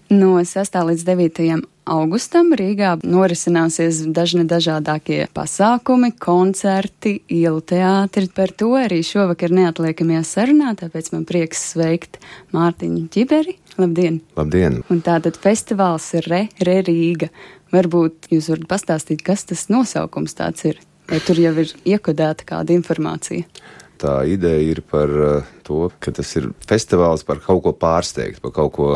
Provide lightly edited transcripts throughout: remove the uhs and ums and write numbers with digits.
No 6. līdz 9. augustam Rīgā norisināsies dažādākie pasākumi, koncerti, ielu teātri. Par to arī šovakar neatliekamajā sarunā, tāpēc man prieks sveikt Mārtiņu Ķiberi. Labdien! Labdien! Un tātad festivāls ir Re Rīga. Varbūt jūs varat pastāstīt, kas tas nosaukums tāds ir? Vai tur jau ir iekodēta kāda informācija? Tā ideja ir par to, ka tas ir festivāls par kaut ko pārsteigt, par kaut ko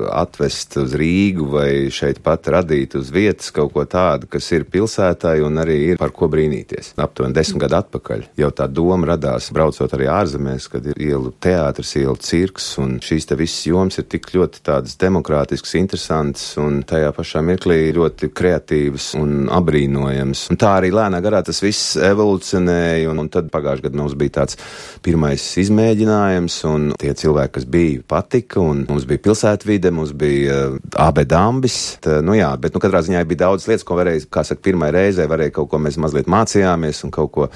atvest uz Rīgu vai šeit pat radīt uz vietas kaut ko tādu, kas ir pilsētai un arī ir par ko brīnīties. Aptuveni 10 gadu atpakaļ jau tā doma radās, braucot arī ārzemēs, kad ir ielu teātris, ielu cirks, un šīs te visas jomas ir tik ļoti tādas demokrātiskas, interesantas un tajā pašā mirklī ļoti kreatīvas un abrīnojams. Un tā arī lēnā garā tas viss evolucionēja, un tad pagājušajā gadā mums bija tāds pirmais izmēģinājums, un tie cilvēki, kas bija, patika, un mums bija pilsētvide, mums bija AB Dambis, bet katrā ziņā bija daudz lietas, ko varēja, kā saka, pirmai reizē varēja kaut ko mēs mazliet mācījāmies un kaut ko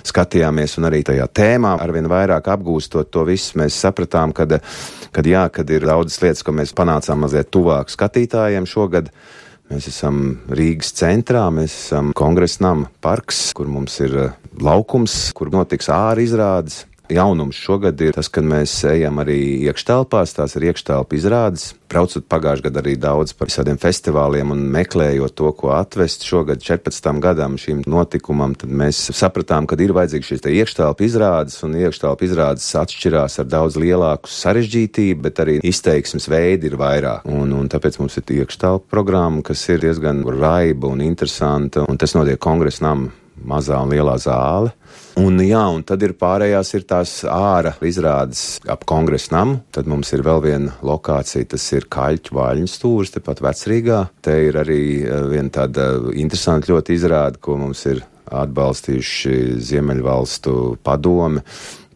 skatījāmies, un arī tajā tēmā arvien vairāk apgūstot to visu, mēs sapratām, kad ir daudzas lietas, ko mēs panācām mazliet tuvāk skatītājiem šogad. Mēs esam Rīgas centrā, mēs esam Kongresa nama parks, kur mums ir laukums, kur notiks āra izrādes. Jaunums šogad ir tas, ka mēs ejam arī iekštelpās, tās ir iekštelpa izrādes. Braucot pagājušajā gadā arī daudz par visādiem festivāliem un meklējot to, ko atvest šogad 14. gadam šīm notikumam, tad mēs sapratām, ka ir vajadzīgs šīs te iekštelpa izrādes, un iekštelpa izrādes atšķirās ar daudz lielāku sarežģītību, bet arī izteiksmes veidi ir vairāk. Un tāpēc mums ir iekštelpa programma, kas ir diezgan raiba un interesanta, un tas notiek Kongresa nama mazā un lielā zāle. Un tad ir pārējās ir tās āra izrādes ap Kongresa namu. Tad mums ir vēl viena lokācija, tas ir Kaļķu Vaļņu stūris, tepat Vecrīgā. Te ir arī viena tāda interesanta ļoti izrāde, ko mums ir atbalstījuši Ziemeļvalstu padome.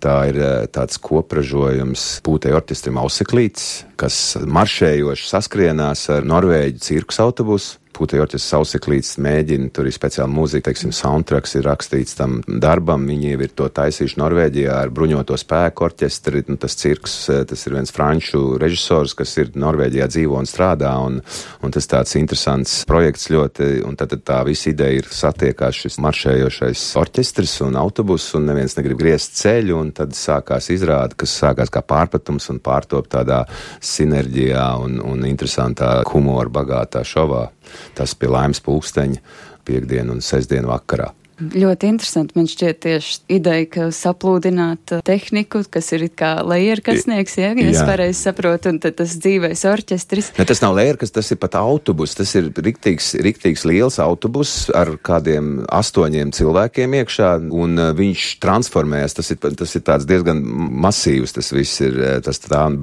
Tā ir tāds kopražojums Pūtēju orķestrim Auseklīts, kas maršējoši saskrienās ar Norvēģu cirkus autobusu. Pūtēju orķestris Auseklīts mēģina, tur ir speciāla mūzika, teiksim, soundtracks ir rakstīts tam darbam. Viņi ir to taisījuši Norvēģijā ar bruņoto spēku orķestri. Tas cirks, tas ir viens franču režisors, kas ir Norvēģijā dzīvo un strādā, un tas tāds interesants projekts ļoti, un tad tā visa ideja ir satiekās šis maršējošais orķestris un autobus, un neviens negrib griezt ceļu, un tad sākās izrāde, kas sākās kā pārpratums un pārtop tādā sinerģijā un interesantā humora bagātā šovā. Tas pie Laimes pulksteņa piekdienu un sestdienu vakarā. Ļoti interesanti. Man šķiet tieši ideja, ka saplūdināt tehniku, kas ir it kā lejerkasnieks, ja es pareizi saprotu, un tad tas dzīvais orķestris. Ne, tas nav lejerkas, tas ir pat autobus. Tas ir riktīgs liels autobus ar kādiem 8 cilvēkiem iekšā, un viņš transformējas. Tas ir tāds diezgan masīvs, tas viss ir,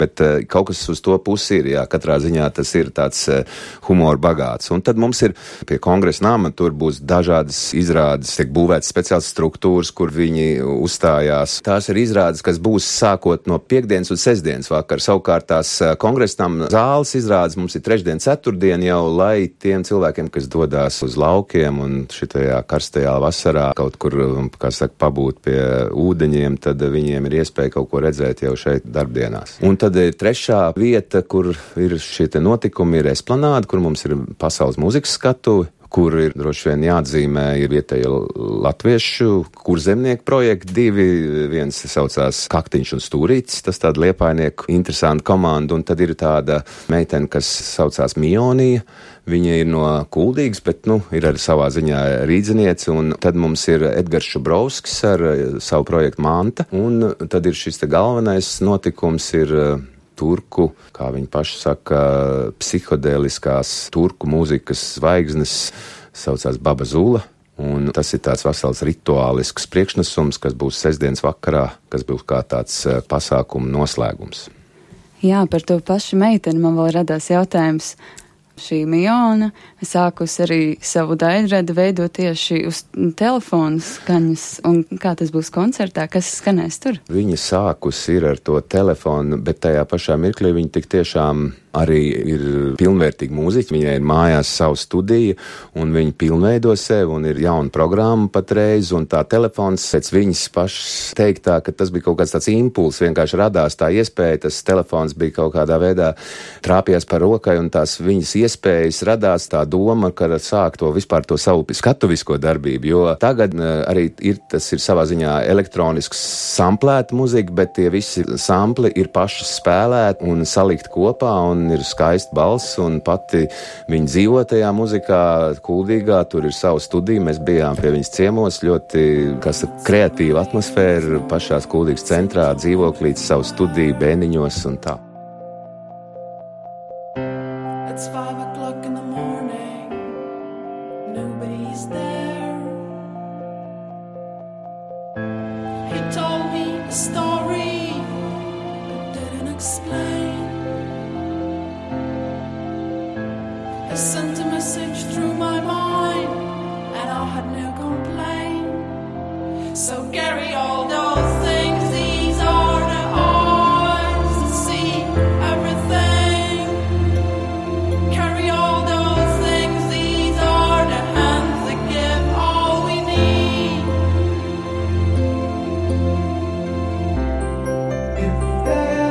bet kaut kas uz to pusi ir, katrā ziņā tas ir tāds humora bagāts. Un tad mums ir pie Kongresa nama, tur būs dažādas izrādes, tiek būvētas speciāls struktūras, kur viņi uzstājās. Tās ir izrādes, kas būs sākot no piekdienas un sestdienas vakar. Savukārt tās Kongresa nama zāles izrādes mums ir trešdien, ceturtdien jau, lai tiem cilvēkiem, kas dodās uz laukiem un šitajā karstajā vasarā kaut kur, pabūt pie ūdeņiem, tad viņiem ir iespēja kaut ko redzēt jau šeit darbdienās. Un tad ir trešā vieta, kur ir šie te notikumi, ir Esplanāde, kur mums ir pasaules mūzikas skatuve, kur ir droši vien jāatzīmē ir vietējo latviešu kurzemnieku projekti 2, viens saucās Kaktiņš un Stūrītis, tas tāda liepainieku interesanta komanda, un tad ir tāda meitene, kas saucās Mionija, viņa ir no Kuldīgas, bet, ir arī savā ziņā rīdziniece, un tad mums ir Edgars Šubrovskis ar savu projektu Manta, un tad ir šis te galvenais notikums ir turku, kā viņi paši saka, psihodēliskās turku mūzikas zvaigznes, saucās Baba Zula, un tas ir tāds vesels rituālisks priekšnesums, kas būs sestdienas vakarā, kas būs kā tāds pasākuma noslēgums. Jā, par to pašu meiteni man vēl radās jautājums. Šī Miona sākus arī savu daļradi veidot tieši uz telefonu skaņas, un kā tas būs koncertā, kas skanēs tur? Viņa sākus ir ar to telefonu, bet tajā pašā mirklī viņa tik tiešām arī ir pilnvērtīgi mūziķi, viņai ir mājās savu studiju, un viņi pilnveido sevi, un ir jauna programma patreiz, un tā telefons pēc viņas pašas teiktā, ka tas bija kaut kāds tāds impuls, vienkārši radās tā iespēja, tas telefons bija kaut kādā veidā trāpījās par rokai, un tās viņas iespējas radās tā doma, ka sāk to vispār to savu skatuvisko darbību, jo tagad arī tas ir savā ziņā elektronisks samplēta muzika, bet tie visi sampli ir paši spēlēti un salikt kopā, un ir skaista balss, un pati viņa dzīvo tajā muzikā Kuldīgā, tur ir savu studiju, mēs bijām pie viņas ciemos, ļoti, kreatīva atmosfēra, pašās Kuldīgas centrā, dzīvoklīts, savu studiju, bēniņos un tā. It's 5 o'clock in the morning, nobody's there. He told me a story, but didn't explain. I sent a message through my mind, and I had no complaint. So carry all those things, these are the eyes that see everything. Carry all those things, these are the hands that give all we need. If there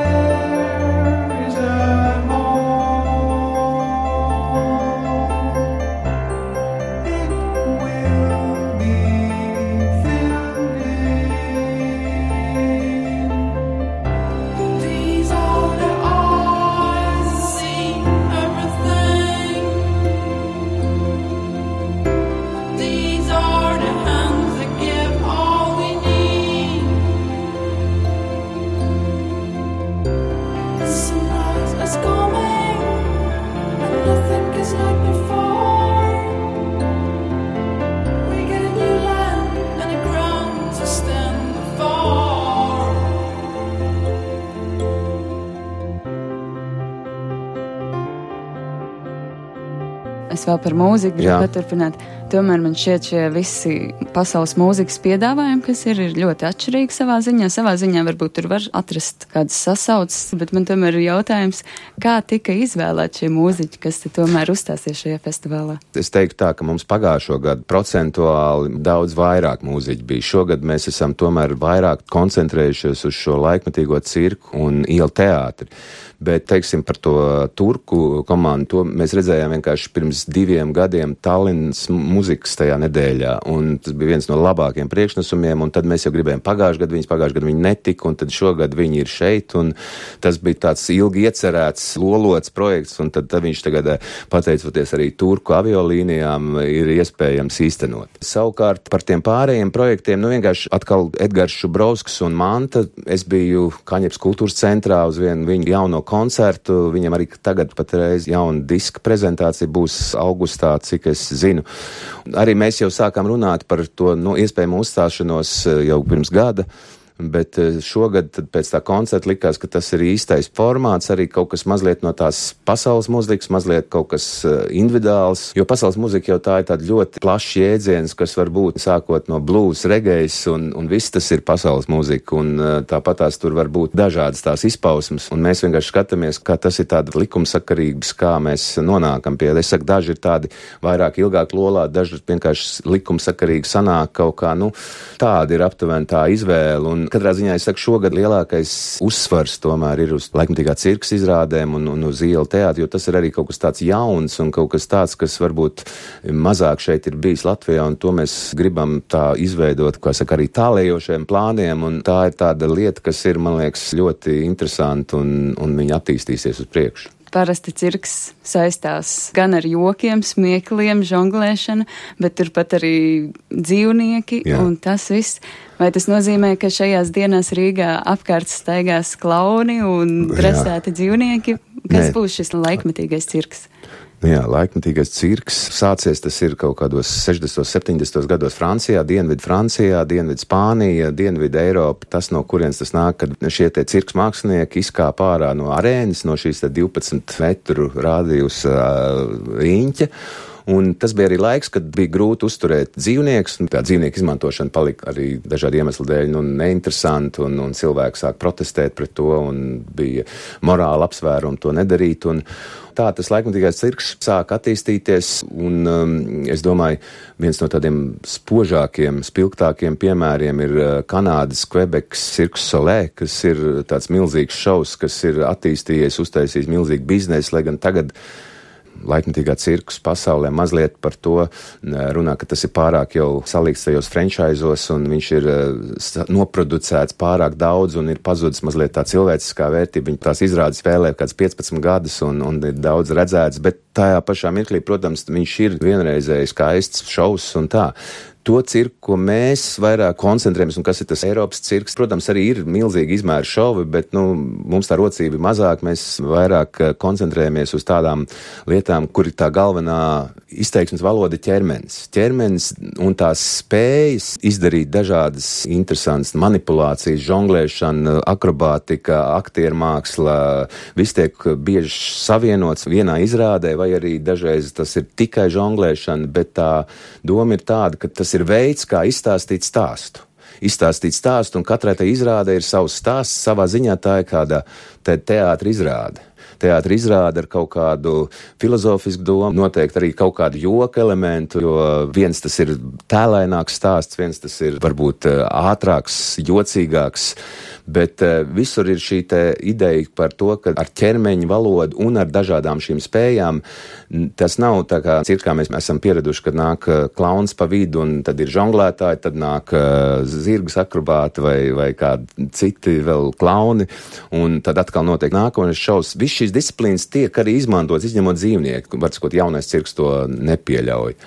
is a home, Es vēl par mūziku gribu paturpināt. Tomēr man šķiet šie visi pasaules mūzikas piedāvājumi, kas ir ļoti atšķirīgi savā ziņā. Savā ziņā varbūt tur var atrast kādas sasaucas, bet man tomēr ir jautājums, kā tika izvēlēt šie mūziķi, kas te tomēr uzstāsies šajā festivālā? Es teiktu tā, ka mums pagājušo gadu procentuāli daudz vairāk mūziķi bija. Šogad mēs esam tomēr vairāk koncentrējušies uz šo laikmetīgo cirku un ielu teātri. Bet, teiksim, par to turku komandu, to mēs redzējām vienkārši pirms 2 gadiem Tallinas muzikas tajā nedēļā, un tas bija viens no labākiem priekšnesumiem, un tad mēs jau gribējām pagājušajā gadu viņi netika, un tad šogad viņi ir šeit, un tas bija tāds ilgi iecerēts, lolots projekts, un tad viņš tagad, pateicoties arī turku aviolīnijām, ir iespējams īstenot. Savukārt par tiem pārējiem projektiem, vienkārši atkal Edgars Šubrovskis un Manta, es biju Kaņepes kultūras centrā uz vienu viņu jauno koncertu, viņam arī tagad patreiz jauna diska prezentācija būs augustā, cik es zinu. Arī mēs jau sākām runāt par to iespējamu uzstāšanos jau pirms gada, bet šogad pēc tā koncerta likās, ka tas ir īstais formāts, arī kaut kas mazliet no tās pasaules mūzikas, mazliet kaut kas individuāls, jo pasaules mūzika jau tā ir tāda ļoti plašs jēdziens, kas var būt sākot no blues, regejs un viss tas ir pasaules mūzika, un tāpat tās tur var būt dažādas tās izpausmes, un mēs vienkārši skatāmies, kā tas ir tāda likumsakarības, kā mēs nonākam pie, es saku, daži ir tādi vairāk ilgāk lolā, daži vienkārši likumsakarīgi sanāk kaut kā, tāda ir aptuveni tā izvēle, un katrā ziņā es saku, šogad lielākais uzsvars tomēr ir uz laikmetīgā cirkas izrādēm un uz ielu teātri, jo tas ir arī kaut kas tāds jauns un kaut kas tāds, kas varbūt mazāk šeit ir bijis Latvijā, un to mēs gribam tā izveidot, kā saka, arī tālējošiem plāniem, un tā ir tāda lieta, kas ir, man liekas, ļoti interesanti, un viņa attīstīsies uz priekšu. Parasti cirks saistās gan ar jokiem, smiekliem, žonglēšanu, bet turpat arī dzīvnieki un tas viss. Vai tas nozīmē, ka šajās dienās Rīgā apkārt staigās klauni un dresēti dzīvnieki? Kas būs šis laikmetīgais cirks? Jā, laikmetīgais cirks sācies, tas ir kaut kādos 60. 70. gados Francijā, Dienvidu Spānija, Dienvidu Eiropa, tas no kurienes tas nāk, kad šie te cirks mākslinieki izkāp ārā no arēnas, no šīs 12 metru rādījus riņķa, Un tas bija arī laiks, kad bija grūti uzturēt dzīvniekus, un tā dzīvnieku izmantošana palika arī dažādu iemeslu dēļ neinteresanti, un cilvēki sāk protestēt pret to, un bija morāli apsvērumi to nedarīt, un tā tas laikmatīgais cirks sāk attīstīties, un es domāju, viens no tādiem spožākiem, spilgtākiem piemēriem ir Kanādas Kvebekas Cirque du Soleil, kas ir tāds milzīgs šovs, kas ir attīstījies, uztaisījis milzīgu biznesu, lai gan tagad laikmatīgā cirkus pasaulē mazliet par to runā, ka tas ir pārāk jau salīgs tajos franchisos, un viņš ir noproducēts pārāk daudz, un ir pazudis mazliet tā cilvēciskā vērtība. Viņa tās izrādes spēlē kāds 15 gadus, un ir daudz redzēts, bet tajā pašā mirklī, protams, viņš ir vienreizējs skaists šovs un tā. To cirku, ko mēs vairāk koncentrējamies, un kas ir tas Eiropas cirks, protams, arī ir milzīgi izmēri šovi, bet, mums tā rocība ir mazāk, mēs vairāk koncentrējamies uz tādām lietām, kur ir tā galvenā izteiksmes valoda ķermenis. Ķermenis un tās spējas izdarīt dažādas interesantas manipulācijas, žonglēšana, akrobātika, aktiermāksla, viss tiek bieži savienots vienā izrādē, vai arī dažreiz tas ir tikai žonglēšana, bet tā doma ir tāda, ka tas ir veids, kā izstāstīt stāstu. Izstāstīt stāstu, un katrai tai izrāde ir savs stāsts, savā ziņā tā ir kāda teātra izrāde. Teātra izrāda ar kaut kādu filozofisku domu, noteikti arī kaut kādu joka elementu, jo viens tas ir tēlaināks stāsts, viens tas ir varbūt ātrāks, jocīgāks, bet visur ir šī te ideja par to, ka ar ķermeņa valodu un ar dažādām šīm spējām tas nav tā kā cirkā mēs esam pieraduši, kad nāk klauns pa vidu un tad ir žonglētāji, tad nāk zirgas akrobāti vai kādi citi vēl klauni, un tad atkal notiek nākamais šovs. Viss šīs disciplīnas tiek arī izmantots, izņemot dzīvnieku, var sakot, jaunais cirks to nepieļauj.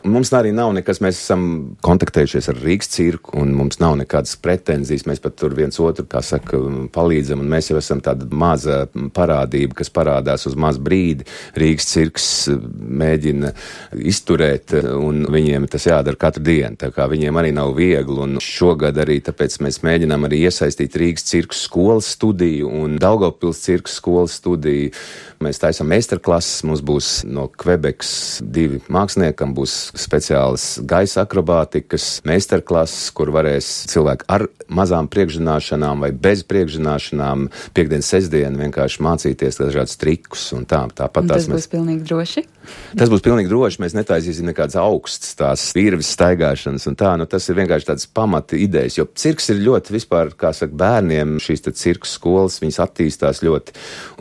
Mums arī nav nekas, mēs esam kontaktējušies ar Rīgas cirku, un mums nav nekādas pretenzijas, mēs pat tur viens otru, kā saka, palīdzam, un mēs jau esam tāda maza parādība, kas parādās uz mazu brīdi. Rīgas cirks mēģina izturēt, un viņiem tas jādara katru dienu, tā kā viņiem arī nav viegli, un šogad arī tāpēc mēs mēģinām arī iesaistīt Rīgas cirku skolas studiju un Daugavpils cirku skolas studiju. Mēs taisam meistarklases, mums būs no Kvebekas 2 māksliniekam, būs speciālas gaisa akrobātikas meistarklases, kur varēs cilvēki ar mazām priekšzināšanām vai bez priekšzināšanām piekdien, sestdien vienkārši mācīties dažādus trikus un tā. Tāpat tas būs pilnīgi droši? Tas būs pilnīgi droši, mēs netaisīsim nekādas augstas tās virves staigāšanas un tā, tas ir vienkārši tāds pamata idejas, jo cirks ir ļoti vispār, kā saka, bērniem šīs te cirku skolas, viņas attīstās ļoti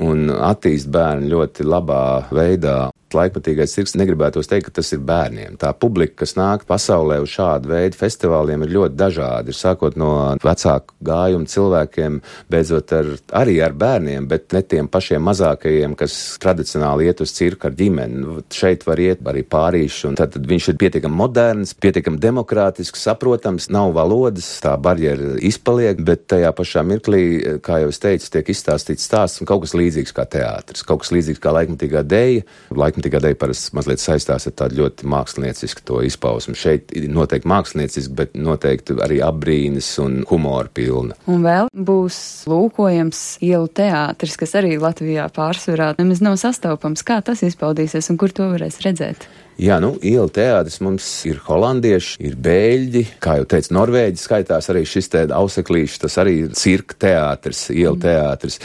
un attīst bērni ļoti labā veidā. Laikmatīgais cirks negribētos teikt, ka tas ir bērniem. Tā publika, kas nāk pasaulē uz šādu veidu festivāliem, ir ļoti dažādi. Ir sākot no vecāku gājumu cilvēkiem, beidzot arī ar bērniem, bet ne tiem pašiem mazākajiem, kas tradicionāli iet uz cirku ar ģimeni. Šeit var iet arī pārīši, un tad viņš ir pietiekami moderns, pietiekami demokrātisks, saprotams, nav valodas, tā barjera izpaliek, bet tajā pašā mirklī, kā jau es teicu, tiek izstāstīts stāsts un kaut kas līdzīgs kā teātris, kaut kas līdzīgs kā laikmatīgā deja. Laikmatīgā deja parasti mazliet saistās ar tādu ļoti māksliniecisku to izpausmu. Šeit noteikti mākslinieciski, bet noteikti arī apbrīnas un humora pilna. Un vēl būs lūkojams ielu teātris, kas arī Latvijā pārsvarā nemaz nav sastopams. Kā tas izpaudīsies un kur to varēs redzēt? Jā, ielu teātris mums ir holandieši, ir bēļģi, kā jau teicu, norvēģi skaitās arī šis te auseklīšs, tas arī ir cirka teātris, ielu teātris.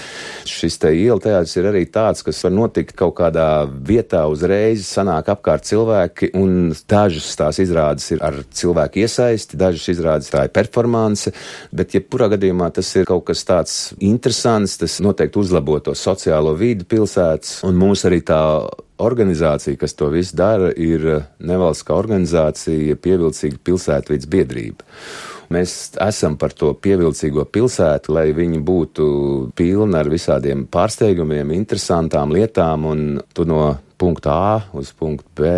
Šis te ielu teātris ir arī tāds, kas var notikt kaut kādā vietā uzreiz, sanāk apkārt cilvēki, un dažas tās izrādes ir ar cilvēku iesaisti, dažas izrādes tā ir performance, bet jebkurā gadījumā tas ir kaut kas tāds interesants, tas noteikti uzlabo to sociālo vidi pilsētas, un mūs arī tā organizācija, kas to visu dara, ir nevalstiskā organizācija Pievilcīga pilsētvides biedrība. Mēs esam par to pievilcīgo pilsētu, lai viņi būtu pilni ar visādiem pārsteigumiem, interesantām lietām, un tu no punkta A uz punktu B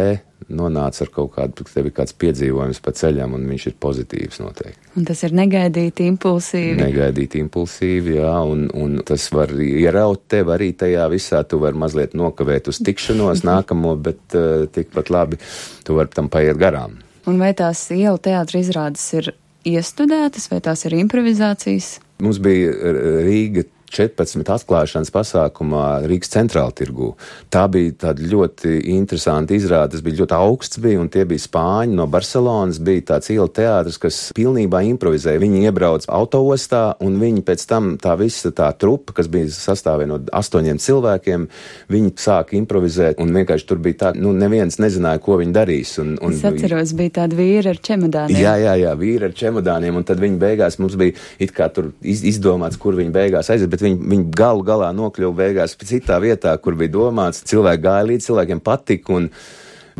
nonāc ar kaut kādu, tev ir kāds piedzīvojums pa ceļam, un viņš ir pozitīvs noteikti. Un tas ir negaidīti, impulsīvi. Negaidīti, impulsīvi, jā, un tas var ieraut tev arī tajā visā, tu var mazliet nokavēt uz tikšanos nākamo, bet tikpat labi tu var tam paiet garām. Un vai tās ielu teātra izrādes ir iestudētas, vai tās ir improvizācijas? Mums bija Rīga 14 atklāšanas pasākumā Rīgas centrāla tirgū. Tā bija tāda ļoti interesanta izrāde, tas bija ļoti augsts un tie bija spāņi no Barcelonas, bija tāds ielu teātris, kas pilnībā improvizēja. Viņi iebrauc autoostā un viņi pēc tam tā visa tā trupa, kas bija sastāvē no 8 cilvēkiem, viņi sāka improvizēt un vienkārši tur bija tā, neviens nezināja, ko viņi darīs. Es atceros, bija tādi vīri ar čemodāniem. Jā, vīri ar čemodāniem, un tad viņi beigās mums bija it kā tur izdomāts, kur viņi beigās aiziet, bet viņi galu galā nokļuva beigās citā vietā, kur bija domāts. Cilvēki gāja līdz, cilvēkiem patika, un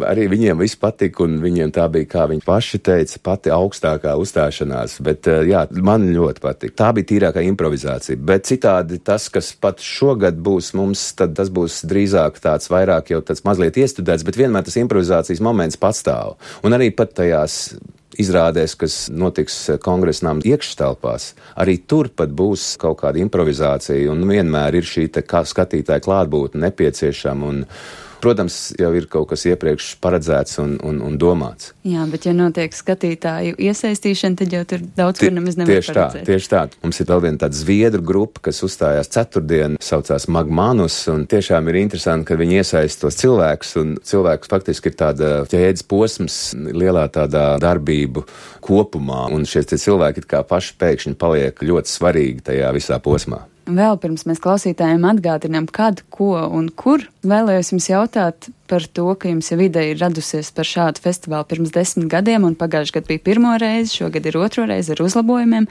arī viņiem viss patika, un viņiem tā bija, kā viņi paši teica, pati augstākā uzstāšanās, bet jā, man ļoti patika. Tā bija tīrākā improvizācija, bet citādi tas, kas pat šogad būs mums, tad tas būs drīzāk tāds vairāk jau tāds mazliet iestudēts, bet vienmēr tas improvizācijas moments pastāv. Un arī pat tajās izrādēs, kas notiks Kongresa nama iekštelpās, arī tur pat būs kaut kāda improvizācija, un vienmēr ir šī skatītāja klātbūtne nepieciešama, un protams, jau ir kaut kas iepriekš paredzēts un domāts. Jā, bet ja notiek skatītāju iesaistīšana, tad jau tur daudz kur nemaz nevar paredzēt. Tieši tā. Mums ir vēl viena tāda zviedru grupa, kas uzstājās ceturtdien, saucās Magmanus, un tiešām ir interesanti, ka viņi iesaist tos cilvēkus, un cilvēks faktiski ir tāda ķēdes posms lielā tādā darbību kopumā, un šie cilvēki it kā paši pēkšņi paliek ļoti svarīgi tajā visā posmā. Vēl pirms mēs klausītājiem atgādinām, kad, ko un kur, vēlējos jums jautāt par to, ka jums jau ideja ir radusies par šādu festivālu pirms 10 gadiem, un pagājuši gadu bija pirmo reizi, šogad ir otro reizi ar uzlabojumiem.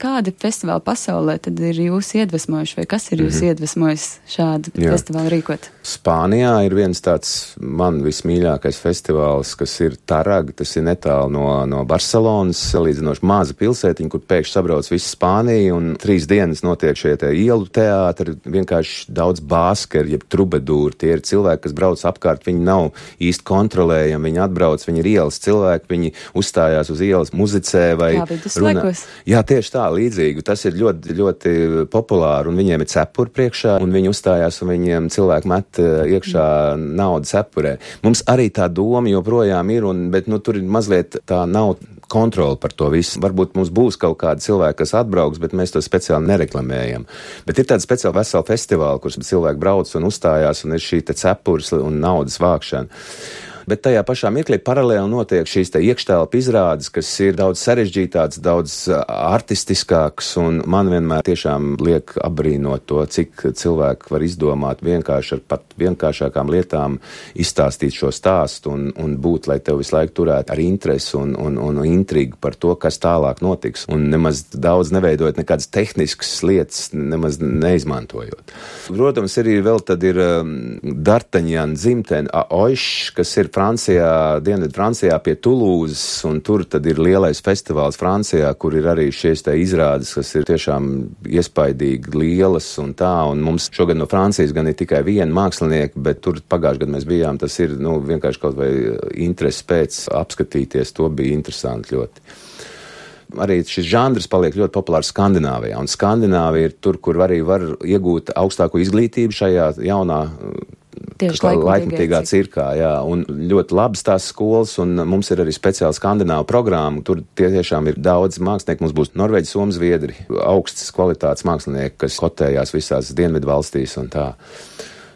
Kādi festivāli pasaulē tad ir jūs iedvesmojuši, vai kas ir jūs iedvesmojis šādu festivālu rīkot? Spānijā ir viens tāds man vismīļākais festivāls, kas ir Tarag, tas ir netālu no Barcelonas, salīdzinoši maza pilsētiņa, kur pēkšņi sabrauc visu Spāniju, un 3 dienas notiek šie te ielu teātri, vienkārši daudz bāskeri, jeb trubedūri, tie ir cilvēki, kas brauc apkārt, viņi nav īsti kontrolējami, viņi atbrauc, viņi ir ielas cilvēki, viņi uzstājās uz ielas, muzicē vai runā. Jā, tieši tā, līdzīgi. Tas ir ļoti, ļoti populāri, un viņiem ir cepuri priekšā, un viņi uzstājās, un viņiem cilvēki met iekšā naudu cepurē. Mums arī tā doma joprojām ir, bet tur ir mazliet tā nav kontroli par to visu. Varbūt mums būs kaut kādi cilvēki, kas atbrauks, bet mēs to speciāli nereklamējam. Bet ir tāda speciāla vesela festivāla, kur cilvēki brauc un uzstājās, un ir šī te cepures un naudas vākšana. Bet tajā pašā mirklī paralēli notiek šīs te iekštelpu izrādes, kas ir daudz sarežģītāks, daudz artistiskāks, un man vienmēr tiešām liek apbrīnot to, cik cilvēki var izdomāt vienkārši ar pat vienkāršākām lietām izstāstīt šo stāstu un būt, lai tev visu laiku turētu ar interesi un intrigu par to, kas tālāk notiks, un nemaz daudz neveidojot nekādas tehniskas lietas, nemaz neizmantojot. Protams, arī vēl tad ir D'Artagnan dzimtene Aoiš, kas ir Francijā, Dienvidu Francijā pie Tulūzas, un tur tad ir lielais festivāls Francijā, kur ir arī šies te izrādes, kas ir tiešām iespaidīgi lielas un tā, un mums šogad no Francijas gan ir tikai viena mākslinieka, bet tur pagājušajā gadā mēs bijām, tas ir, vienkārši kaut vai interesi pēc apskatīties, to bija interesanti ļoti. Arī šis žanrs paliek ļoti populārs Skandināvijā, un Skandināvija ir tur, kur arī var iegūt augstāko izglītību šajā jaunā laikmatīgā cirkā, jā, un ļoti labas tās skolas, un mums ir arī speciāla skandināva programma, tur tiešām ir daudz mākslinieku, mums būs Norvēģi, Somi, Zviedri, augstas kvalitātes mākslinieki, kas kotējās visās dienvidu valstīs un tā.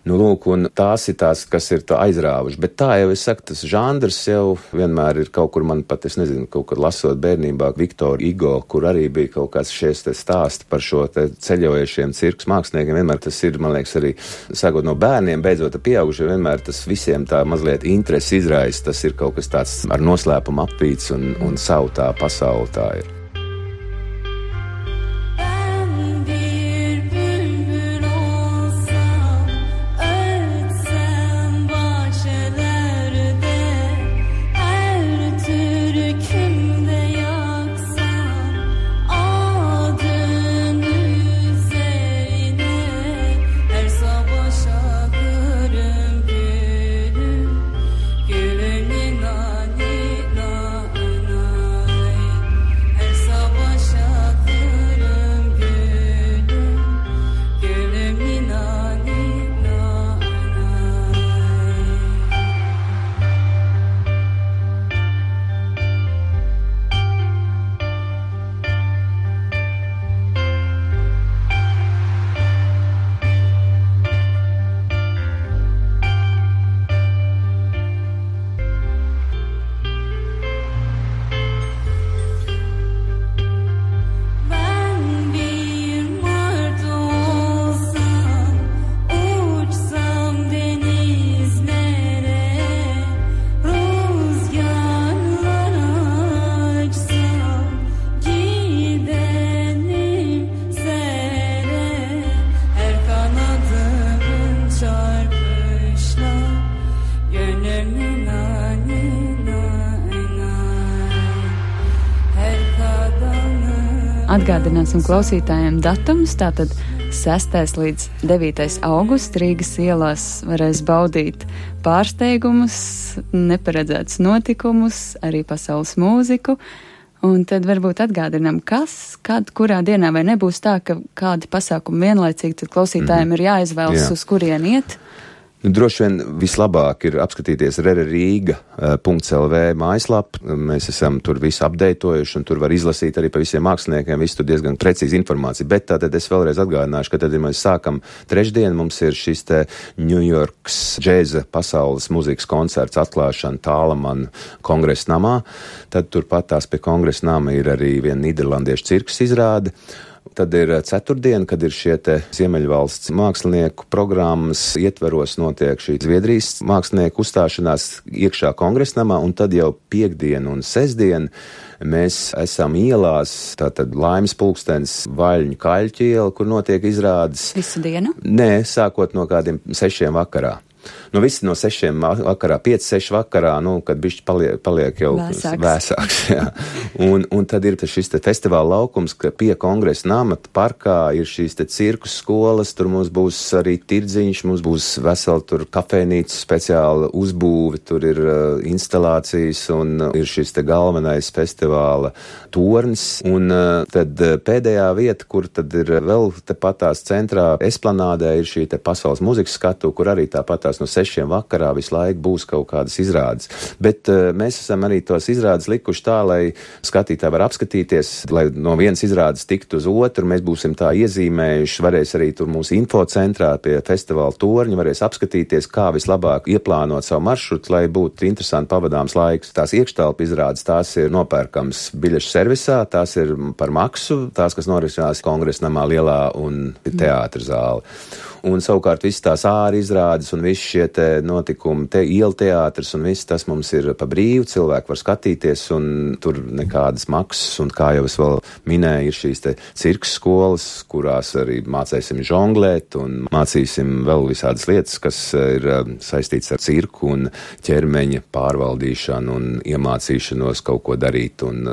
Lūk, un tās ir tās, kas ir tā aizrāvuši, bet tā jau es saku, tas žanrs jau vienmēr ir kaut kur man pat, es nezinu, kaut kad lasot bērnībā Viktoru Igo, kur arī bija kaut kāds šies te stāsti par šo te ceļojušiem cirkus māksliniekiem, vienmēr tas ir, man liekas, arī sākot no bērniem, beidzot pieaugušiem, vienmēr tas visiem tā mazliet interesi izraisa, tas ir kaut kas tāds ar noslēpumu apvīts un savu tā pasauli tā ir. Atgādināsim klausītājiem datumus, tātad 6. līdz 9. augusts Rīgas ielās varēs baudīt pārsteigumus, neparedzētus notikumus, arī pasaules mūziku. Un tad varbūt atgādinām, kas, kad, kurā dienā, vai nebūs tā, ka kādi pasākumi vienlaicīgi, tad klausītājiem ir jāizvēlas, uz kurien iet. Droši vien vislabāk ir apskatīties rereriga.lv mājaslapu. Mēs esam tur visu apdeitojuši, un tur var izlasīt arī pa visiem māksliniekiem, visu tur diezgan precīzi informācija. Bet tātad es vēlreiz atgādināšu, ka tad, ja mēs sākam trešdien, mums ir šis te New Yorks džēza pasaules mūzikas koncerts atklāšana Tālaman kongresa namā. Tad turpat tās pie kongresa nama ir arī viena nīderlandiešu cirkus izrāde. Tad ir ceturtdiena, kad ir šie te Ziemeļvalsts mākslinieku programmas ietveros notiek šī Zviedrijas mākslinieku uzstāšanās iekšā kongresnamā, un tad jau piekdien un sestdien mēs esam ielās, tātad Laimes pulkstens, Vaļņu Kaļķu iela, kur notiek izrādes. Visu dienu? Nē, sākot no kādiem 6 vakarā. Nu, viss no 6 vakarā, 5-6 vakarā, nu, kad bišķi paliek jau vēsāks. Jā. Un tad ir šis te festivāla laukums, ka pie kongresa nama parkā ir šīs te cirkus skolas, tur mums būs arī tirdziņš, mums būs veseli tur kafejnīca speciāla uzbūve, tur ir instalācijas un ir šis te galvenais festivāla tornis. Un tad pēdējā vieta, kur tad ir vēl tepatās centrā Esplanādē, ir šī te pasaules mūzikas skatu, kur arī tāpatās no 6 vakarā visu laiku būs kaut kādas izrādes. Bet mēs esam arī tos izrādes likuši tā, lai skatītāji var apskatīties, lai no vienas izrādes tiktu uz otru. Mēs būsim tā iezīmējuši, varēs arī tur mūsu infocentrā pie festivāla torņa, varēs apskatīties, kā vislabāk ieplānot savu maršrutu, lai būtu interesanti pavadāms laiks. Tās iekštelpu izrādes, tās ir nopērkams biļešu servisā, tās ir par maksu, tās, kas norisinās kongresnamā lielā un teātra zāle. Un savukārt viss tās āri izrādes un visi šie te notikumi, ielu teātris un viss tas mums ir pa brīvu, cilvēki var skatīties un tur nekādas maksas, un kā jau es vēl minēju, ir šīs te cirkus skolas, kurās arī mācēsim žonglēt un mācīsim vēl visādas lietas, kas ir saistīts ar cirku un ķermeņa pārvaldīšanu un iemācīšanos kaut ko darīt un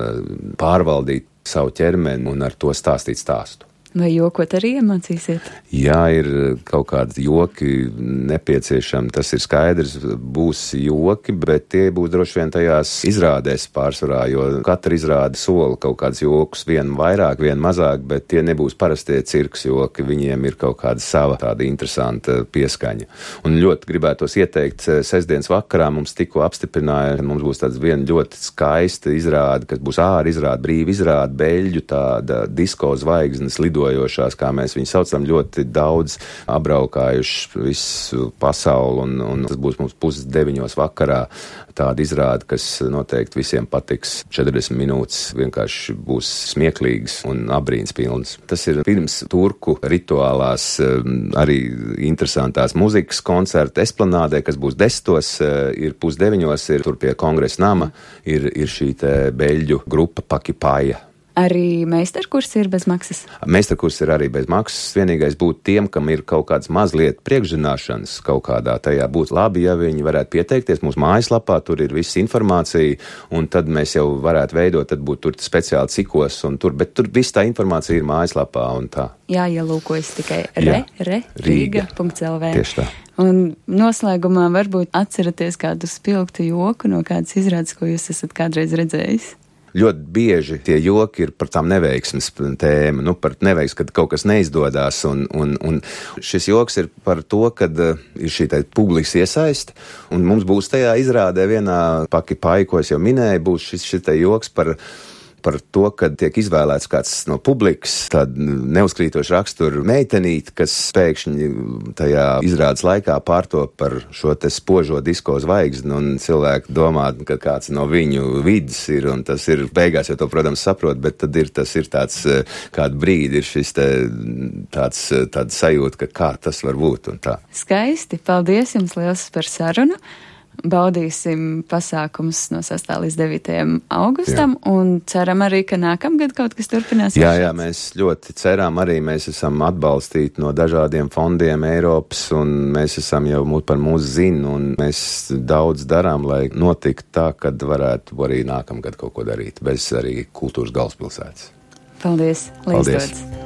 pārvaldīt savu ķermeni un ar to stāstīt stāstu. Vai jokot arī iemācīsiet? Jā, ir kaut kādi joki nepieciešami, tas ir skaidrs, būs joki, bet tie būs droši vien tajās izrādēs pārsvarā, jo katra izrāde sola kaut kāds jokus, vienu vairāk, vienu mazāk, bet tie nebūs parastie cirks joki, viņiem ir kaut kāda sava tāda interesanta pieskaņa. Un ļoti gribētos ieteikt, sestdienas vakarā mums tikko apstiprināja, ka mums būs tāds viena ļoti skaista izrāde, kas būs āra izrāde, brīva izrāde, beļģu tāda disko zvaigznes lidojošās, kā mēs viņu saucam, ļoti daudz apbraukājuši visu pasauli, un tas būs mums 8:30 vakarā tāda izrāde, kas noteikti visiem patiks. 40 minūtes vienkārši būs smieklīgas un apbrīnas pilnas. Tas ir pirms turku rituālās arī interesantās muzikas koncerta Esplanādē, kas būs 10, ir 8:30, ir tur pie kongresa nama, ir šī te beļģu grupa Pakipaja. Arī meistarkursi ir bez maksas? Meistarkursi ir arī bez maksas. Vienīgais būtu tiem, kam ir kaut kādas mazliet priekšzināšanas kaut kādā tajā, būtu labi, ja viņi varētu pieteikties mūsu mājaslapā, tur ir visa informācija, un tad mēs jau varētu veidot, tad būtu tur speciāli cikos, un tur, bet tur viss tā informācija ir mājaslapā un tā. Jā, ielūkojas tikai Riga.lv. Tieši tā. Un noslēgumā varbūt atceraties kādu spilgtu joku no kādas izrādes, ko jūs esat kādreiz redzējis? Ļoti bieži tie joki ir par tām neveiksmes tēmu, par neveiksmi, kad kaut kas neizdodas, un šis joks ir par to, kad ir šī publikas iesaiste, un mums būs tajā izrādē vienā Pakipai, ko es jau minēju, būs šis joks par to, kad tiek izvēlēts kāds no publikas, tāda neuzkrītoša rakstura meitenīte, kas pēkšņi tajā izrādes laikā pārtop par šo te spožo disko zvaigzni, un cilvēki domā, ka kāds no viņu vidas ir, un tas ir beigās, jau to, protams, saprot, bet tad tas ir tāds, kādu brīdi ir šis te tāda sajūta, ka kā tas var būt, un tā. Skaisti, paldies jums liels par sarunu. Baudīsim pasākums no 6. līdz 9. augustam, un ceram arī, ka nākamgad kaut kas turpinās. Jā, mēs ļoti ceram arī, mēs esam atbalstīti no dažādiem fondiem Eiropas, un mēs esam jau par mūsu zinu, un mēs daudz darām, lai notiktu tā, kad varētu arī nākamgad kaut ko darīt, bez arī kultūras galvaspilsētas. Paldies! Lai Paldies! izdodas.